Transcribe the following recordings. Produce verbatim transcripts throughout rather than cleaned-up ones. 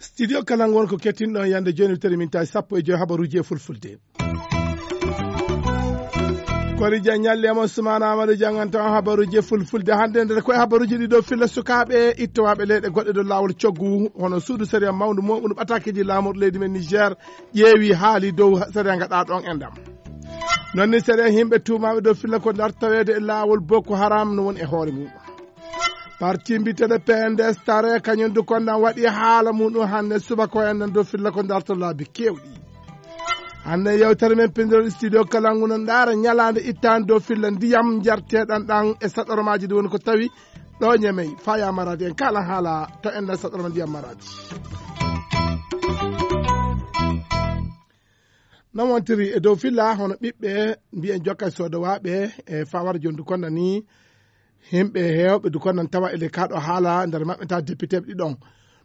Studio Kalangu won ko kettinɗo yande joni, tari min tawi sappo e joyi habaruji e fulfulde. Kori Dia ñalli e mon Soumana Amadou Dianganta on habaruji e fulfulde. Hannde nder koye habaruji ɗi ɗo filla sukaaɓe ittowaɓe leyɗe goɗɗe dow laawol coggu, hono suudu sariya mawndu mo ɓunu ɓatakeji laamorɗo leydi men Niger ƴeewi haali dow sariya gaɗa ɗon e ndam. Non ni sariya yimɓe tuumaɓe dow filla ko dartaweede e laawol Boko Haram no woni e hoore mum. Parti mbiteɗo P N D S tare kañum du konɗan waɗi haala muɗum hannde subaka o enɗan dow filla ko darta laabi kewɗi. Hannde yewtere men pindiral studio Kalangu no ndaara ñalaande ittaande dow filla ndiyam njarteɗan ɗan e saɗoromaaji ɗi woni ko tawi ɗo ñemey faya maraadi en kala haala to enɗan saɗoroma ndiyam maraadi. Non wontiri e dow filla hono ɓiɓɓe mbiyen jokka soodowaaɓe e fawar jondu konɗan ni. Himɓe heewɓe du konnan tawa ele kaɗo haala nder maɓɓe ta député ɓe ɗiɗon.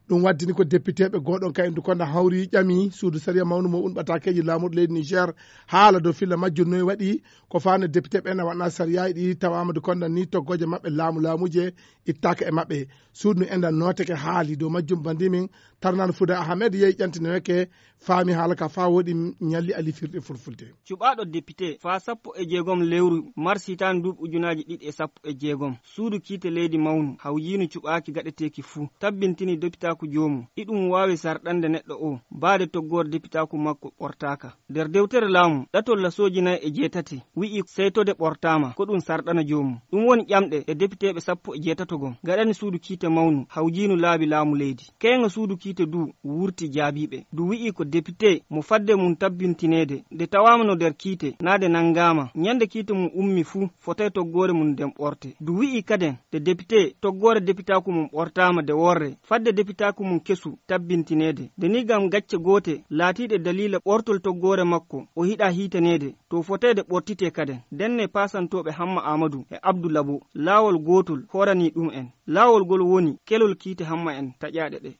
Ɗum waddini ko député ɓe goɗon kay du konnan hawri ƴami suudu sariya mawnu mo un ɓatakeji laamorɗo leydi Niger haala dow filla majjum noy waɗi ko fano député ɓe na waɗna sariya ɗi tawama du konnan ni toggoje maɓɓe laamu laamuje ittaka e maɓɓe. Suudu nu enɗan noteke haali dow majjum bandimin tarnano Fuda Ahmed yehi ƴantinoyeke faami haala ka fa woɗi ñalli ali firɗe fulfulde. Cuɓaaɗo depite faa sappo e jeegom lewru mars hitaande nduuɓi ujunaaji ɗiɗi e sappo e jeegom, suudu kiite leydi mawnu hawjiinu cuɓaaki gaɗeteeki fuu, tabbintini depitaaku joomum, iɗum waawi sarɗande neɗɗo oo, baade toggoore depitaaku makko ɓortaaka. Nder dewtere laamu, ɗatol lasooji nay e jeetati, wi'i seytode ɓortaama, ko ɗum sarɗana joomum. Ɗum woni ƴamɗe ɗe depiteeɓe sappo e jeetato gom gaɗani suudu kiite mawnu hawjiinu laabi laamu leydi. Keeŋa suudu kiite du wurti jaabiiɓe. Du wi'i ko depite mo fadde mum tabbintineede, nde tawaama no nder kiite, naa nde nanngaama, ñande kiite mum ummi fuu, fotay toggoore mum nden ɓorte. Du wi'i kaden, nde depite toggoore depitaaku mum ɓortaama de worre, fadde depitaaku mum kesu tabbintineede. Nde ni ngam gacce goote laatiiɗe daliila ɓortol toggoore makko, o hiɗa hiitaneede, to fotay de ɓortitee kaden. Ndenne paasantooɓe Hamma Aamadu e Abdu Labo, laawol gootol hooranii ɗum en. Laawol ngol woni kelol kiite Hamma en taƴaaɗe ɗe.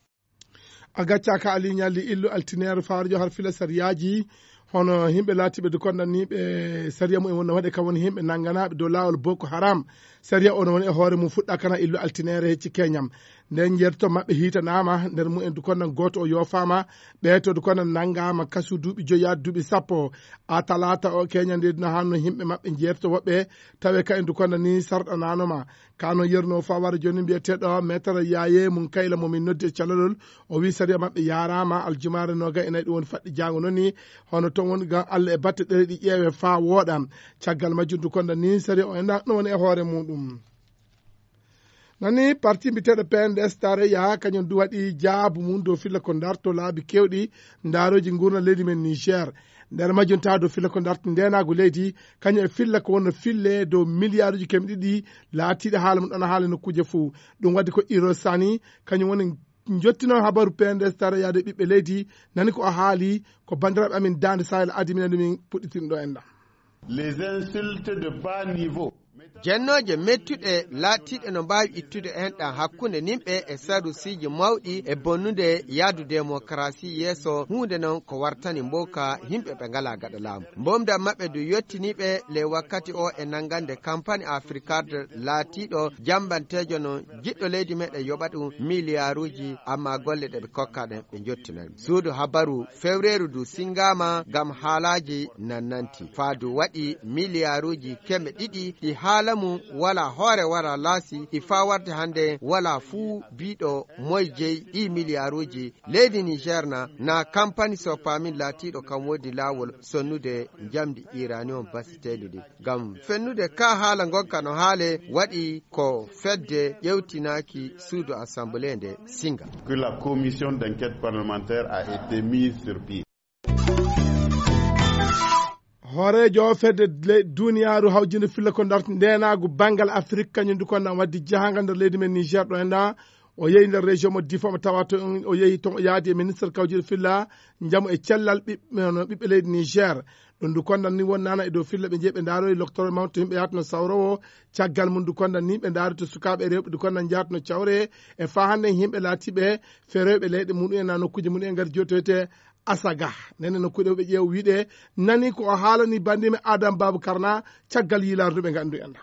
A gaccaka Ali Ñalli illu altineere faarjo har fila sariyaaji, hono yimɓe laatiiɓe de konnanniiɓe sariya mumen wonno waɗe kam woni yimɓe nannganaaɓe dow laawol Boko Haram. Sariya on woni e hoore mum fuɗɗa kana illu altineere hecci keñam. Nden njeerto maɓɓe hiitanaama, nder mumen du konnan gooto o yoofaama, ɓeeto du konnan nanngaama kasu duuɓi joyi yaade duuɓi sappo. A talaata o keña nde dina hanno yimɓe maɓɓe njeerto woɓɓe tawe ka en du konnan ni sarɗanaanoma. Kano yerno fawara joni mbiyeteɗo metere yaye mum kayla momin noddi e calalol. O wi sariya maɓɓe yarama aljumaare noga e nayi ɗum woni faɗɗi jango noni. Hono toon woni gam allah e batte ɗere ɗi ƴeewe fa wooɗa. Caggal majjum du konda ni sariya o ena no woni e hoore muɗum. Nani parti mbiteɗo pnds tareya kañum du waɗi jaabu mum dow filla ko darto laabi kewɗi. Ndaroji gurna leydi men niger. Nder majjum tawa dow filla ko darto ndenagu leydi, kañum e filla ko wonno fille dow milliarduji keme ɗiɗi. Laatiɗo haala mum ɗon haala nokkuje fou. Ɗum waddi ko iro sani kañum woni jottino habaru pnds tara yaade ɓiɓɓe leydi. Nani ko o haali ko bandiraɓe amin dande sahel adi minen ɗumin puɗɗitinɗo en ɗam. Les insultes de bas niveau. Jennooje mettuɗe laatiiɗe no mbaawi ittude en ɗam hakkunde nimɓe e sarusiiji mawɗi e bonnude yaadu demokarasi yeeso, huunde noon ko wartani mbowka yimɓe ɓe ngalaa gaɗa laamu. Mbomda maɓɓe du yottiniiɓe ley wakkati o e nanngande kampani afrikard laatiiɗo jambanteejo no jiɗɗo leydi meɗen yoɓa ɗum miliyaaruuji, amma golle ɗe ɓe kokka ɗen ɓe njottinani. Suudu habaru fewreeru du singaama ngam haalaaji nannanti. Faadu waɗi miliyaaruuji keme ɗiɗi ɗi haala mum wala hoore wara laasi ɗi faa warde hannde wala fuu biiɗo moy jeyi ɗi miliyaaruuji. Leydi Niger na, na kampani soppamin laatiiɗo kam woodi laawol sonnude njamdi iranium basiteeli ɗin. Ngam fennude ka haala ngonka no haale waɗi ko fedde ƴewtinaaki suudu assemblée nde singa. Que la commission d'enquête parlementaire a été mise sur pied. Hooreejo fedde le- duniyaaru hawjinde filla ko darti ndenaagu banngal afrik kañum du ko nan waddi jahangal nder leydi men niger ɗo enɗa. O yehi nder région mo difo mo tawa to o yehi toon o yaadi e ministre kawjuɗo filla njamu e cellal ɓiɓɓe leydi niger. Ɗum du kondan ni wonnana e dow filla ɓe jeeɓe ndaroyi loctore mawto yimɓe yahata no sawrowo. Caggal mum du kondan ni ɓe ndaari to sukaaɓe rewɓe du kondan njahata no cawre. E fa hannde yimɓe laatiɓe feroyɓe leyɗe muɗum en na nokkuji muɗum en ngari jotoyte. Asaga. Nene no kuɗe ɓe ƴeew wiɗe nani ko o haalani bandime Adam Babu Karna caggal yiilaare ndu ɓe nganndu en.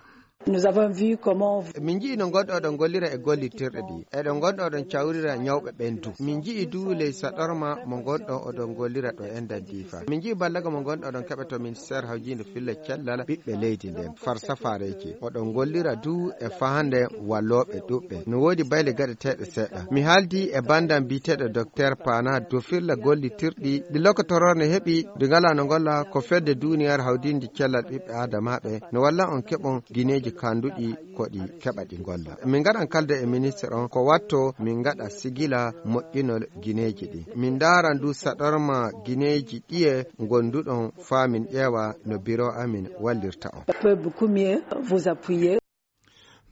Nous avons vu comment. Min nji'i no ngonɗo oɗon ngollira e gollitirɗe ɗi. Eɗon ngonɗo oɗon cawrira ñawɓe ɓen du. Min nji'i du ley saɗorma mo ngonɗo oɗon ngollira ɗo enɗan diifa. Min nji'i ballaga mo ngonɗo oɗon keɓa to ministère hawjiinde filla cellal ɓiɓɓe leydi nden. Far safaareeji. Oɗon ngollira du e fahande wallooɓe ɗuɓɓe. No woodi bayle gaɗeteeɗe seeɗa. Mi haaldi e banndam biyeteeɗo Dokteer Paana dow filla gollitirɗi ɗi lokotoroore ne heɓi, ɗi ngalaa no ngolla ko fedde duuniyaaru hawdiinde cellal ɓiɓɓe aadamaaɓe. No walla on keɓon gineeji kanduɗi ko ɗi keɓa ɗi ngolla. Min ngaɗan kalde e ministre on ko watto min ngaɗa sigila moƴƴinol gineeji ɗi. Min ndaaran du saɗorma gineeji ɗiye ngonduɗon faa min ƴeewa no biro amin wallirta on. Peut beaucoup mieux vous appuyer.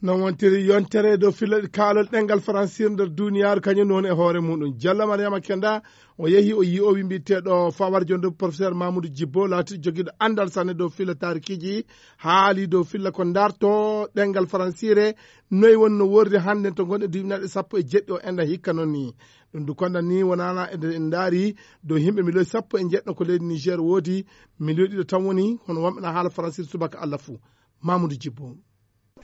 Non wontiri yontere dow filla kaalol ɗengal faransir nder duniyaaru kañum non e hoore muɗum. Jallo Mariama Kenda o yehi o yi'owi mbiyeteeɗo fawar jonde professeur Mamoudou Djibbo laati jogiiɗo anndal sanne dow filla taarikiji, haali dow filla ko ndarto ɗengal faransire, noy wonno worri hannde to ngonɗen duuɓi naɗe sappo e jeɗɗi o enɗa hikka noon ni. Ɗum du konɗan ni wonana eɗen ndaari dow yimɓe miliyon sappo e jeɗɗo ko leydi Niger woodi, miliyon ɗiɗo tan woni hono wonɓe na haala faransir subaka Allah fuu. Mamoudou Djibbo.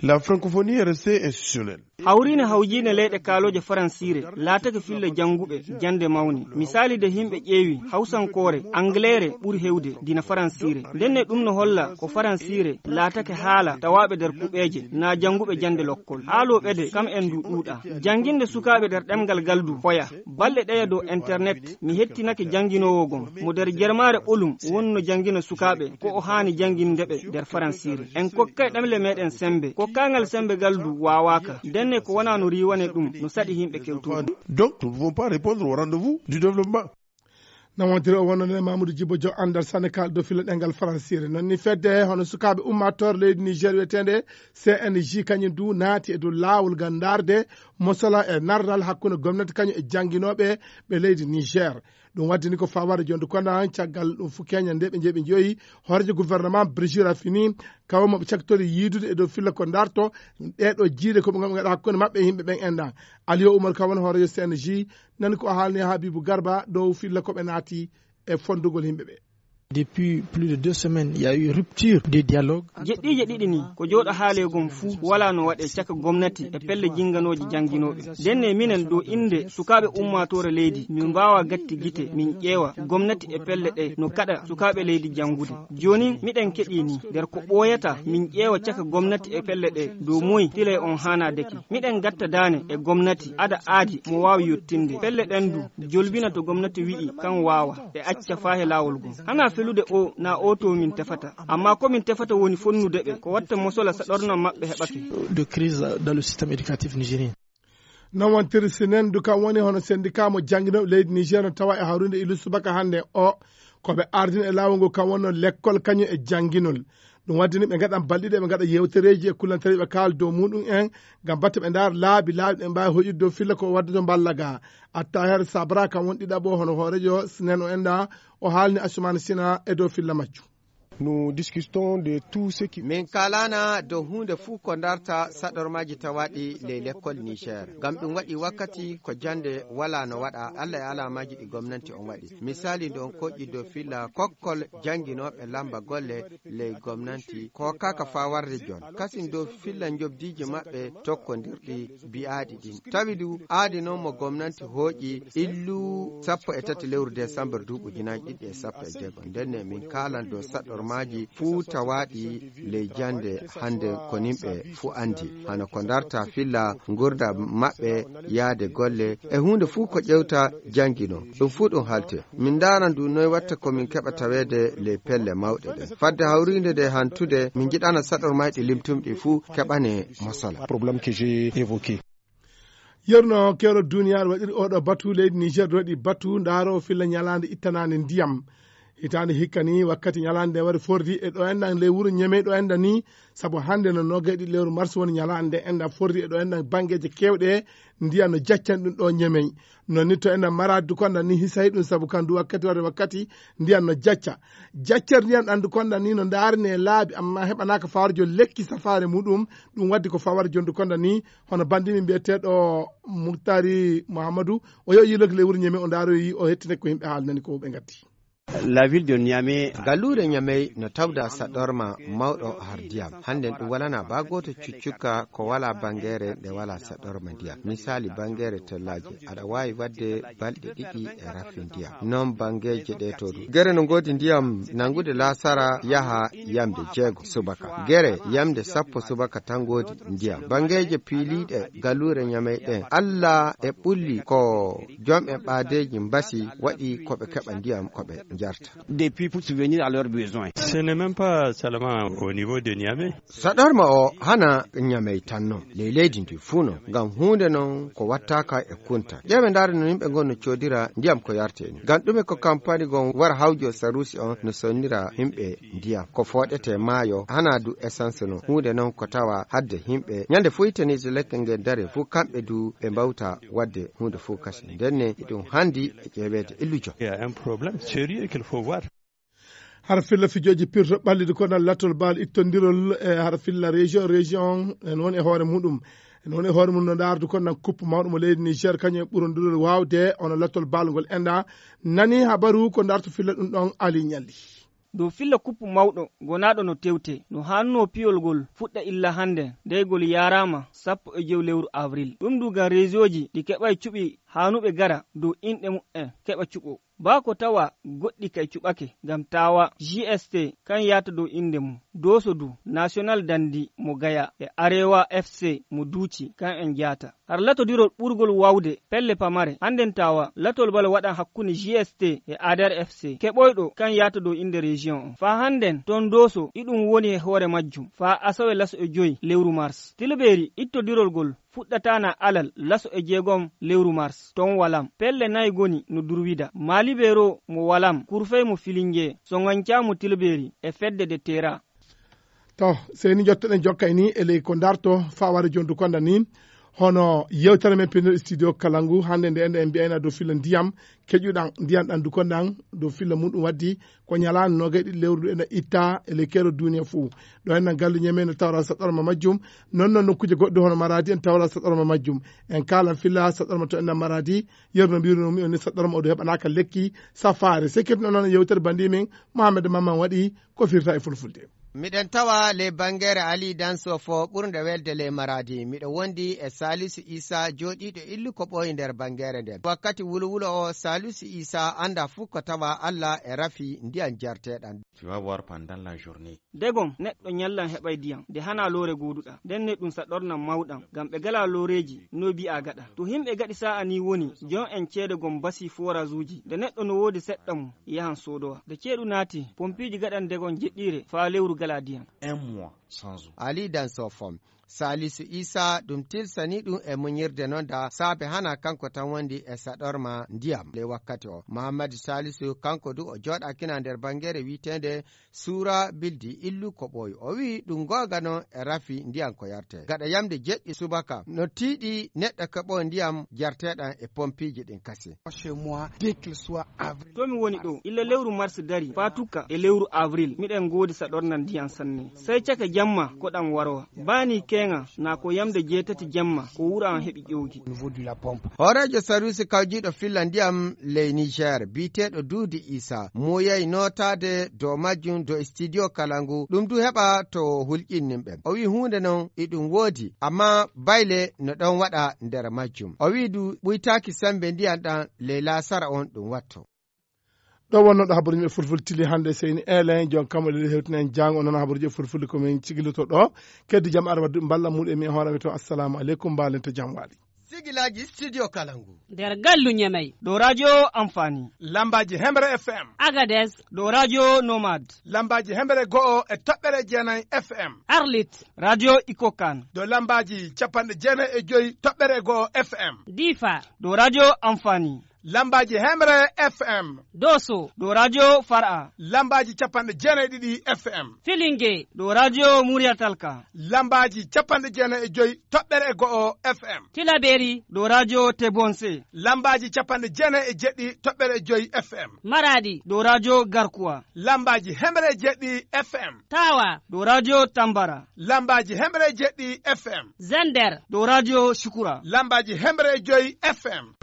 La francophonie est restée institutionnelle. Hawriine hawjiine leyɗe kaalooje faransiire laatake filla jannguɓe jannde mawni. Misaali de yimɓe ƴeewi hawsankoore, angleere ɓuri hewde dina faransiire. Ndenne ɗum no holla ko faransiire laatake haala tawaaɓe nder kuɓeeje na jannguɓe jannde lokkol. Haalooɓe de kam en du ɗuuɗa. Jannginde sukaaɓe nder ɗemngal gal du hoya. Balɗe ɗeya dow internet mi hettinake jannginoowo gom mo nder jermaare ɓolum wonno janngina sukaaɓe ko o haani jannginde ɓe nder faransiire. En kokkay ɗemle meɗen sembe. Kokkangal sembe gal du waawaaka. Ndenne ko wona no riiwane ɗum no saɗi yimɓe kewtuɗum. Donc nous ne pouvons pas répondre au rendez-vous du développement. Nawantiri o wonnode Mamoudou Djibo Jo anndal sanne kal dow filla ɗengal faransiire. Noon ni fedde hono sukaaɓe ummaatoore leydi Niger wiyeteende C N J kañum du naati e dow laawol ngam ndaarde mosola e narral hakkunde gomnati kañum e jannginooɓe ɓe leydi Niger. Ɗum waddini ko fawaade jonde kono caggal ɗum fof keñal nde ɓe njeeɓi joyi hooreejo gouvernement Brigitte Raffini kawo maɓe caktori yiidude e dow filla ko ndarto ɗeɗo jiiɗe ko ɓe ngam ngaɗa hakkunde maɓɓe e yimɓe ɓen enɗan. Aliyo Umar Kawan hooreejo C N J nani ko o haalni Habibu Garba dow filla ko ɓe naati e fondugol yimɓe ɓe. Depuis plus de deux semaines, il y a eu rupture de dialogue. Jeɗɗiije ɗiɗi ni ko jooɗo haaleegom fuu wala no waɗe caka gomnati e pelle jinganooji janginooɓe. Ndenne minen ɗo innde sukaaɓe ummaatoore leydi min mbaawa gatti gite min ƴeewa gomnati e pelle ɗe no kaɗa sukaaɓe leydi janngude. Jooni miɗen keɗii ni nder ko ɓooyata min ƴeewa caka gomnati e pelle ɗe dow moy tilay on haanaadeki. Miɗen gatta daane e gomnati ada aadi mo waawi yottinde pelle ɗen du jolbina to gomnati wi'i kan waawa e acca faa he laawol gom. Hana felude o na o to min tefata amma ko min tefata woni fonnude ɓe ko watta mosola saɗorna maɓɓe heɓake. De crise dans le système éducatif nigérien. Noon wontiri sinen du kam woni hono sendika mo jannginooɓe leydi Niger no tawa e hawrinde ilu subaka hannde o ko ɓe ardini e laawol ngol kam wonno lekkol kañum e jannginol. Ɗum waddini ɓe ngaɗan balɗiɗe ɓe ngaɗa yewtereeji e kullantereeji ɓe kaala dow muɗum en ngam batte ɓe ndaara laabi laabi ɗe mbaawi hoƴude dow filla ko waddata mballa ga. Attaher Sabra kam woni ɗiɗaɓo hono hooreejo sinen o enɗa o haalni Asumani Sina e dow filla majju. Nous discutons de tout ce qui. Min kaalana dow huunde fuu ko ndarta saɗormaaji tawaaɗi ley lekkol Niger. Ngam ɗum waɗi wakkati ko jannde wala no waɗa Allah e alaamaaji ɗi gomnanti on waɗi. Misaali ndo on koƴƴi dow filla kokkol jannginooɓe lamba golle ley gomnanti ko kaka faa warde jon. Kasin dow filla njobdiiji maɓɓe tokkondirɗi bi'aaɗi ɗin. Tawi du aadi non mo gomnanti hooƴi illu sappo e tati lewru desambar duuɓi ujunaaji ɗiɗi e sappo e jeego. Ndenne min kaalan dow saɗɗormaaji fuu tawaaɗi ley jannde hannde ko nimɓe fuu anndi. Hano ko ndarta filla ngurda maɓɓe yaade golle e huunde fuu ko ƴewta janngino. Ɗum fuu ɗum halte. Min ndaaran du noy watta ko min keɓa taweede ley pelle mawɗe ɗen. Fadde hawriinde nde hantude, min njiɗana saɗormaaji ɗi limtumɗi fuu keɓane mosala. Problème que j'ai évoqué. Yerno kewɗo duniyaaru waɗiri oɗo batu leydi Niger waɗi batu ndaaro filla ñalaande ittanaande ndiyam. Hitaande hikka ni, wakkati ñalaande nde wari fordi e ɗo enɗan ley wuro Ñemey ɗo enɗan ni, sabu hannde no noogay ɗiɗi lewru mars woni ñalaande nde enɗan fordi e ɗo enɗan banngeeje keewɗe, ndiyam no jaccan ɗum ɗo Ñemey. Non ni to enɗan Maraadi du konɗan ni hisayi ɗum, sabu kan du wakkati warde wakkati ndiyam no jacca. Jaccere ndiyam ɗan du konɗan ni no ndaarine laabi, amma heɓanaaka fawarjo lekki safaare muɗum, ɗum waddi ko fawarjo du konɗan ni, hono banndi min mbiyeteeɗo Muktari Muhammadu, o yo yiiloki ley wuro Ñemey, o ndaaroyi, o hettine ko yimɓe haalnani ko ɓe ngatti. La ville de Niamey. Galluure Ñamey no tawda saɗorma mawɗo har ndiyam. Hannden ɗum walana baa gooto cuccukka ko walaa banngeere nde walaa saɗorma ndiyam. Misaali banngeere tellaaje, aɗa waawi waɗde balɗe ɗiɗi e rafi ndiyam. Noon banngeeje ɗe to du. Gere no ngoodi ndiyam nanngude laasara yaha yamde jeego subaka. Gere yamde sappo subaka tan ngoodi ndiyam. Banngeeje piiliiɗe galluure Ñamey ɗen, Alla e ɓulli ko jom en ɓaadeeji mbasi waɗi ko ɓe keɓa ndiyam ko ɓe njarta. Des puits pour subvenir à leurs besoins. Ce n'est même pas seulement au niveau de Niamey. Saɗorma o hana Ñamey tan non, ley leydi ndi fuu non, ngam huunde non ko wattaaka e kunta. Ƴeewe ndaare no yimɓe ngon no coodira ndiyam ko yarte ni. Ngam ɗume ko kampani gon wara hawjo sarusi on no sonnira yimɓe ndiyam. Ko fooɗete maayo, hana du essence non. Huunde non ko tawa hadde yimɓe. Ñande fof itani so lekke nge dare fof kamɓe du ɓe mbawta wadde huunde fof kasi. Ndenne ɗum handi e ƴeeweede illujo. Il y a un problème sérieux qu'il faut voir. Hara filla fijooji pirto ɓalliɗi ko nan lattol baal ittondirol e hara filla région, région en woni e hoore muɗum. En woni e hoore mum no ndaardu ko nan kuppu mawɗo mo leydi Niger, kañum e ɓurondirol waawde ono lattol baal ngol enɗa. Nani habaru ko ndarto filla ɗum ɗon Ali Ñalli. Dow filla kuppu mawɗo gonaaɗo no tewte, no haannoo piyol ngol fuɗɗa illa hannde, dey ngol yaaraama sappo e jowi lewru avril. Ɗum du ngam reesooji ɗi keɓay cuɓi haanuɓe gara dow inɗe muɓɓen keɓa cuɓo. Baa ko tawa goɗɗi kay cuɓake ngam taawa G S T kan yaata dow innde mum. Dooso du National Dandi mo Gaya e Arewa F C mo Duuci kan en jaata. Har latodirol ɓurgol waawde pelle pamare hannden taawa latol bal waɗan hakkunde G S T e A D R F C keɓoyɗo kan yaata dow innde région on. Faa hannden ton Dooso iɗum woni e hoore majjum faa asawe laso e joy lewru mars. Tilbeeri ittodirol ngol fuɗɗataana alal laso e jeegom lewru mars ton Walam. Pelle nay goni no Durwida, Maalibero mo Walam, Kurfey mo Filinge, Soŋancaa mo Tilbeeri e fedde de Tera. To, sey ni njottoɗen jokkay ni e ley ko ndarto faa wara jondu konda ni. Hono yewtere men pinnoɗo studio kala ngu, hannde nde enɗen en mbiyayna dow filla ndiyam, keƴuɗan ndiyam ɗan du kondan dow filla muɗum waddi ko ñalaande noogay ɗiɗi lewru ndu ena itta e ley keerol duniya fuu. Ɗo en nan gallu ñeme no tawra saɗorma majjum. Non non nokkuuje goɗɗe hono Maradi en tawra saɗorma majjum. En kaalan filla saɗorma to en nan Maradi. Yeru no mbirunomi on ni saɗorma o du heɓanaaka lekki safaare. Sekirno noon yewtere banndi men Mohamed Mamman waɗi ko firta e fulfulde. Miɗen tawa ley bangeere Ali Danso fo ɓurnde welde ley Maradi. Miɗo wondi e Salisu Isa jooɗiiɗo illu ko ɓooyi nder bangeere nden. Wakkati wulowulo o Salisu Isa annda fuu ko tawa Alla e rafi ndiyan jarteɗan. Tu vas voir pendant la journée. Degom neɗɗo ñallan heɓay ndiyam nde hana loore gooduɗa. Nden ne ɗum saɗornan mawɗam ngam ɓe gala looreeji no bi'a gaɗa. To himɓe gaɗi sa'a ni woni jon en ceede gom basi forage uji. Nde neɗɗo no woodi seɗɗa mum yahan soodowa. Nde ceeɗu naati pompiiji gaɗan degom jeɗɗiire faa lewru gala ndiyam. Un mois sans eau. Ali Danso fom. Salisu Isa ɗum tilsani ɗum e muñirde noon da saabe hana kanko tan wondi e saɗorma ndiyam ley wakkati o. Muhammadu Salisu kanko du o jooɗakina nder bangeere wiiteende Suura Bildi illu ko ɓooyi. O wi'i ɗum goonga noon e rafi ndiyam ko yarte. Gaɗa yamde jeɗɗi subaka no tiiɗi neɗɗo keɓo ndiyam jarteɗam e pompiiji ɗin kasi. Chez moi, dès qu'il soit avril. To mi woni ɗo, illa lewru mars dari, faa tukka e lewru avril, miɗen ngoodi saɗornal ndiyam sanne. Sey caka jamma ko ɗam warowa. Baani keeŋa na ko yamde jeetati jamma ko wuro am heɓi ƴowdi. Au niveau de la pompe. Hooreejo sarwiisi kawjiiɗo filla ndiyam ley Niger, biyeteeɗo Duudi Isa, muuyay nootaade dow majjum dow studio kala ngu, ɗum du heɓa to hulƴinnin ɓen. O wi'i huunde non e ɗum woodi, amma bayle no ɗon waɗa nder majjum. O wi'i du ɓuytaaki sembe ndiyam ɗam ley laasara on ɗum watto. Ɗo wonno ɗo habaruji men fulfulde tili hannde, seyni Elen, jon kam o leli hewtinen jaango, o nana habaruji e fulfulde ko min cigiloto ɗo. Keddi jam ara wadduɓe mballa muɗum e mi e hoore mi to. Assalamu aleykum, mbaalente jam waali. Sigilaaji studio kala ngu. Nder gallu Ñamey. Ɗo radio Amfani. Lambaaji Hemre F M. Agadez. Ɗo radio Nomad. Lambaaji Hemre go'o e toɓɓere jeenayi F M. Arlit. Radio Ikokan. Ɗo lambaaji capanɗe jeenayi e joyi toɓɓere go'o F M. Difa. Ɗo radio Amfani. Lambaaji Hemre F M. Doso, ɗo radio Fara. Lambaaji capanɗe jeenayi e ɗiɗi F M. Filinge, ɗo radio Muriyatalka. Lambaaji capanɗe jeenayi e joyi toɓɓere e go'o F M. Tilaberi, ɗo radio Tebonse. Lambaaji capanɗe jeenayi e jeɗɗi toɓɓere e joyi F M. Maradi, ɗo radio Garkuwa. Lambaaji hemre e jeɗɗi F M. Tawa, ɗo radio Tambara. Lambaaji hemre e jeɗɗi F M. Zender, ɗo radio Shukura. Lambaaji hemre e joyi F M.